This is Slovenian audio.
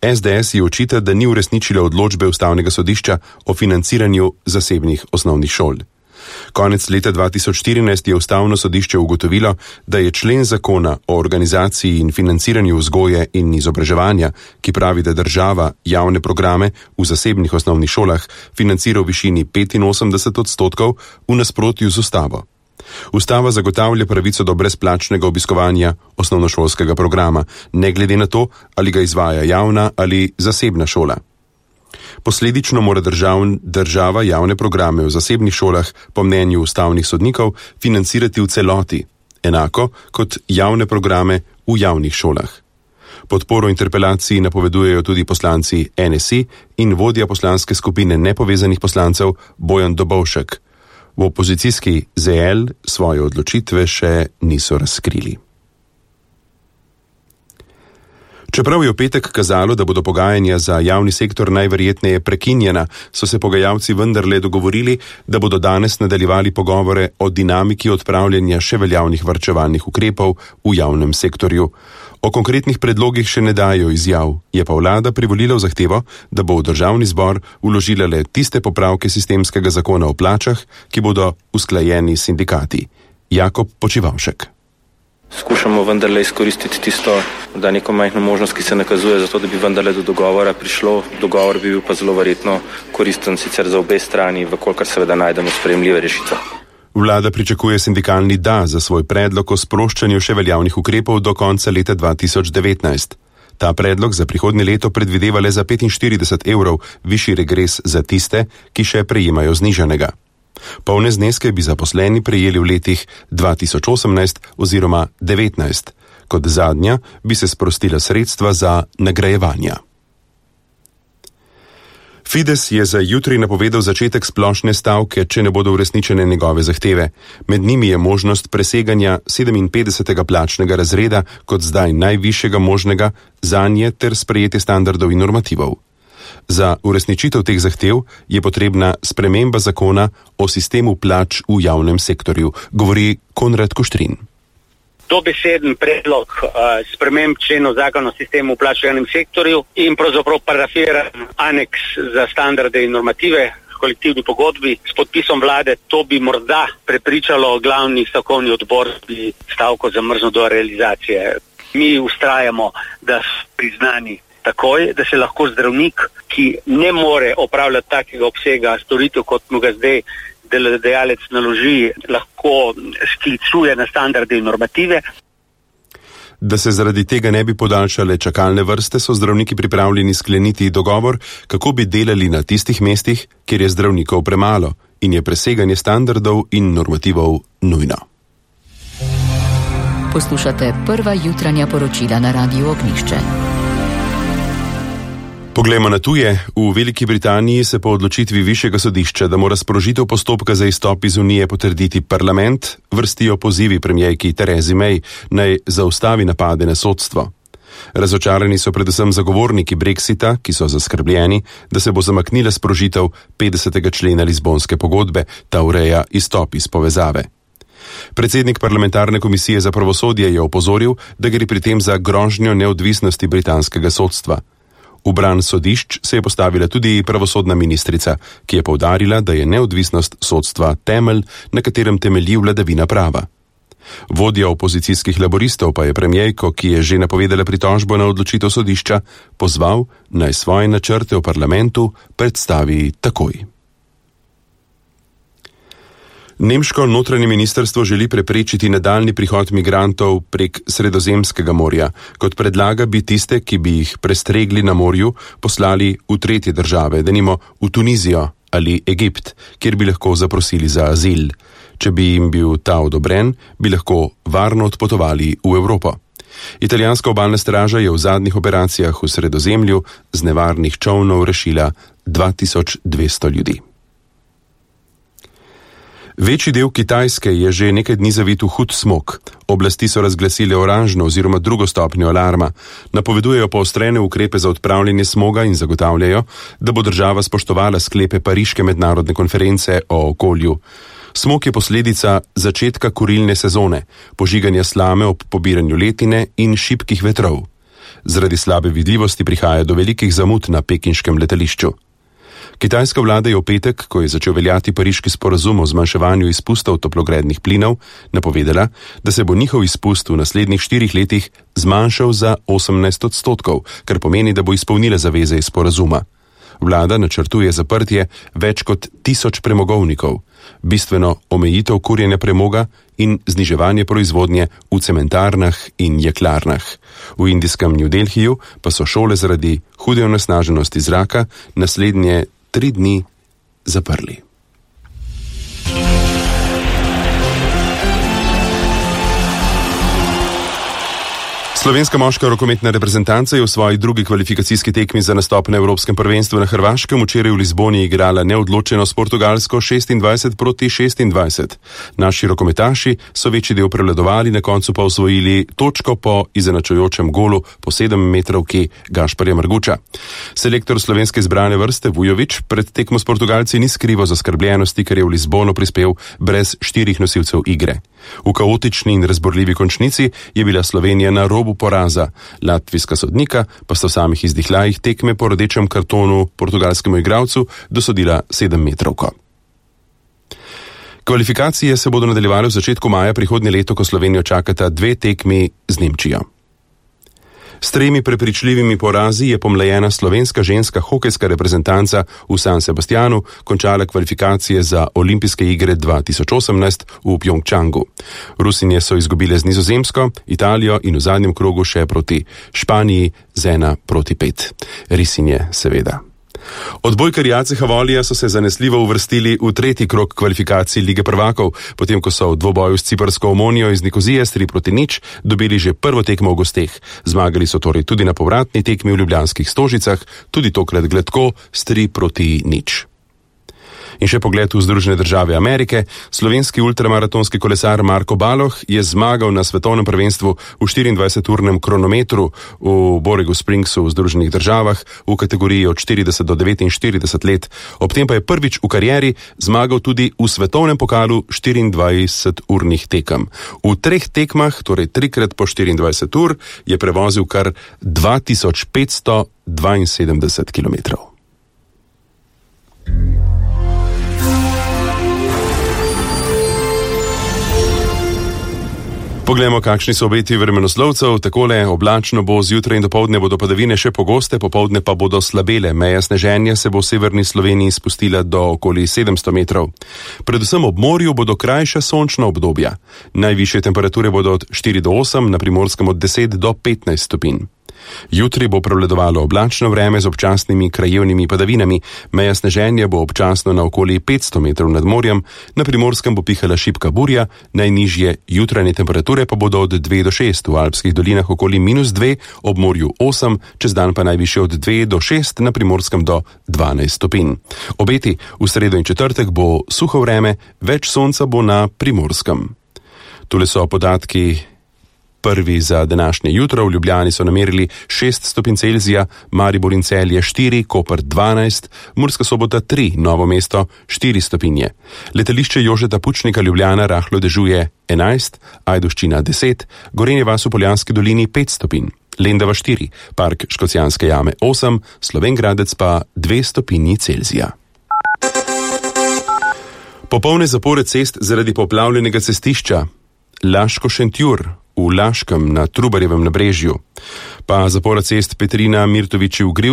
SDS je očita, da ni uresničila odločbe Ustavnega sodišča o financiranju zasebnih osnovnih šol. Konec leta 2014 je Ustavno sodišče ugotovilo, da je člen zakona o organizaciji in financiranju vzgoje in izobraževanja, ki pravi, da država javne programe v zasebnih osnovnih šolah financira v višini 85%, v nasprotju z ustavo. Ustava zagotavlja pravico do brezplačnega obiskovanja osnovnošolskega programa, ne glede na to, ali ga izvaja javna ali zasebna šola. Posledično mora država javne programe v zasebnih šolah po mnenju ustavnih sodnikov financirati v celoti, enako kot javne programe v javnih šolah. Podporo interpelaciji napovedujejo tudi poslanci NSI in vodja poslanske skupine nepovezanih poslancev Bojan Dobovšek. V opozicijski ZL svoje odločitve še niso razkrili. Čeprav je v petek kazalo, da bodo pogajanja za javni sektor najverjetneje prekinjena, so se pogajalci vendarle dogovorili, da bodo danes nadaljevali pogovore o dinamiki odpravljanja še veljavnih varčevalnih ukrepov v javnem sektorju. O konkretnih predlogih še ne dajo izjav, je pa vlada privolila v zahtevo, da bo v državni zbor vložila le tiste popravke sistemskega zakona o plačah, ki bodo usklajeni s sindikati. Jakob Počivavšek. Skušamo vendarle izkoristiti tisto, da neko majhno možnost, ki se nakazuje za to, da bi vendarle do dogovora prišlo. Dogovor bi bil pa zelo verjetno koristen sicer za obe strani, vkolikor seveda najdemo sprejemljive rešitve. Vlada pričakuje sindikalni da za svoj predlog o sproščanju še veljavnih ukrepov do konca leta 2019. Ta predlog za prihodnje leto predvideva le za 45 evrov višji regres za tiste, ki še prejemajo znižanega. Polne zneske bi zaposleni prejeli v letih 2018 oziroma 2019. Kot zadnja bi se sprostila sredstva za nagrajevanja. Fides je za jutri napovedal začetek splošne stavke, če ne bodo uresničene njegove zahteve. Med njimi je možnost preseganja 57. plačnega razreda kot zdaj najvišjega možnega zanje ter sprejetje standardov in normativov. Za uresničitev teh zahtev je potrebna sprememba zakona o sistemu plač v javnem sektorju, govori Konrad Kuštrin. Dobeseden predlog sprememb členov zakona o sistemu plač v javnem sektorju in pravzaprav parafiran aneks za standarde in normative kolektivni pogodbi s podpisom vlade. To bi morda prepričalo glavni stavkovni odbor, bi stavko zamrznil do realizacije. Mi ustrajamo, da so priznani takoj, da se lahko zdravnik, ki ne more opravljati takega obsega storitev, kot mu ga zdaj delodajalec naloži, lahko sklicuje na standarde in normative. Da se zaradi tega ne bi podaljšale čakalne vrste, so zdravniki pripravljeni skleniti dogovor, kako bi delali na tistih mestih, kjer je zdravnikov premalo in je preseganje standardov in normativov nujno. Poslušate prva jutranja poročila na Radiu Ognjišče. Poglejmo na tuje. V Veliki Britaniji se po odločitvi višjega sodišča, da mora sprožitev postopka za izstop iz Unije potrditi parlament, vrstijo pozivi premierki Theresi May, naj zaustavi napade na sodstvo. Razočarani so predvsem zagovorniki Brexita, ki so zaskrbljeni, da se bo zamaknila sprožitev 50. člena Lizbonske pogodbe, ta ureja izstop iz povezave. Predsednik parlamentarne komisije za pravosodje je opozoril, da gre pri tem za grožnjo neodvisnosti britanskega sodstva. V bran sodišč se je postavila tudi pravosodna ministrica, ki je poudarila, da je neodvisnost sodstva temelj, na katerem temelji vladavina prava. Vodja opozicijskih laboristov pa je premierko, ki je že napovedala pritožbo na odločitev sodišča, pozval, naj svoje načrte v parlamentu predstavi takoj. Nemško notranje ministrstvo želi preprečiti nadaljnji prihod migrantov prek Sredozemskega morja. Kot predlaga, bi tiste, ki bi jih prestregli na morju, poslali v tretje države, denimo v Tunizijo ali Egipt, kjer bi lahko zaprosili za azil. Če bi jim bil ta odobren, bi lahko varno odpotovali v Evropo. Italijanska obalna straža je v zadnjih operacijah v Sredozemlju z nevarnih čolnov rešila 2200 ljudi. Večji del Kitajske je že nekaj dni zavit v hud smog. Oblasti so razglasile oranžno oziroma drugo stopnjo alarma. Napovedujejo poostrene ukrepe za odpravljanje smoga in zagotavljajo, da bo država spoštovala sklepe Pariške mednarodne konference o okolju. Smog je posledica začetka kurilne sezone, požiganja slame ob pobiranju letine in šibkih vetrov. Zaradi slabe vidljivosti prihaja do velikih zamud na pekinškem letališču. Kitajska vlada je v petek, ko je začel veljati pariški sporazum o zmanjševanju izpustov toplogrednih plinov, napovedala, da se bo njihov izpust v naslednjih 4 letih zmanjšal za 18%, kar pomeni, da bo izpolnila zaveze iz sporazuma. Vlada načrtuje zaprtje več kot 1000 premogovnikov, bistveno omejitev kurjenja premoga in zniževanje proizvodnje v cementarnah in jeklarnah. V indijskem New Delhiju pa so šole zaradi hude onesnaženosti zraka naslednje 3 dni zaprli. Slovenska moška rokometna reprezentanca je v svoji drugi kvalifikacijski tekmi za nastop na Evropskem prvenstvu na Hrvaškem včeraj v Lizboni igrala neodločeno s Portugalsko 26-26. Naši rokometaši so večji del prevladovali, na koncu pa osvojili točko po izenačujočem golu po 7-metrovki Gašparja Marguča. Selektor slovenske izbrane vrste Vujović pred tekmo s Portugalci ni skrival zaskrbljenosti, ker je v Lizbono prispel brez 4 nosilcev igre. V kaotični in razborljivi končnici je bila Slovenija na robu poraza. Latvijska sodnika pa sta v samih izdihljajih tekme po rdečem kartonu portugalskemu igralcu dosodila 7-metrovko. Kvalifikacije se bodo nadaljevale v začetku maja prihodnje leto, ko Slovenijo čakata 2 tekmi z Nemčijo. S 3 prepričljivimi porazi je pomlajena slovenska ženska hokejska reprezentanca v San Sebastianu končala kvalifikacije za olimpijske igre 2018 v Pjongčangu. Rusinje so izgubile z Nizozemsko, Italijo in v zadnjem krogu še proti Španiji z 1-5. Risinje, seveda. Odbojkarji AC Havolija so se zanesljivo uvrstili v 3. krog kvalifikacij Lige prvakov, potem ko so v dvoboju s ciprsko Omonijo iz Nikozije s 3-0 dobili že prvo tekmo v gosteh. Zmagali so torej tudi na povratni tekmi v ljubljanskih Stožicah, tudi tokrat gladko s 3-0. In še pogled v Združene države Amerike. Slovenski ultramaratonski kolesar Marko Baloh je zmagal na svetovnem prvenstvu v 24-urnem kronometru v Borregu Springsu v Združenih državah v kategoriji od 40 do 49 let. Ob tem pa je prvič v karieri zmagal tudi v svetovnem pokalu 24-urnih tekem. V 3 tekmah, torej 3x po 24 ur, je prevozil kar 2572 kilometrov. Poglejmo, kakšni so obeti vremenoslovcev. Takole oblačno bo, zjutraj in dopoldne bodo padavine še pogoste, popoldne pa bodo slabele. Meja sneženja se bo v severni Sloveniji spustila do okoli 700 metrov. Predvsem ob morju bodo krajša sončna obdobja. Najvišje temperature bodo od 4 do 8, na Primorskem od 10 do 15 stopinj. Jutri bo prevladovalo oblačno vreme z občasnimi krajevnimi padavinami. Meja sneženja bo občasno na okoli 500 metrov nad morjem, na Primorskem bo pihala šibka burja, najnižje jutranje temperature pa bodo od 2 do 6, v alpskih dolinah okoli -2, ob morju 8, čez dan pa najvišje od 2 do 6, na Primorskem do 12 stopinj. Obeti v sredo in četrtek bo suho vreme, več sonca bo na Primorskem. Tule so podatki prvi za današnje jutro. V Ljubljani so namerili 6 stopinj Celzija, Maribor in Celje 4, Koper 12, Murska Sobota 3, Novo mesto 4 stopinje. Letališče Jožeta Pučnika Ljubljana rahlo dežuje 11, Ajdovščina 10, Gorenje vas v Poljanski dolini 5 stopinj, Lendava 4, Park Škocjanske jame 8, Slovenj Gradec pa 2 stopinji Celzija. Popolne zapore cest zaradi poplavljenega cestišča Laško-Šentjur v Laškem na Trubarjevem nabrežju, pa zapora cest Petrina Mirtoviči v Griv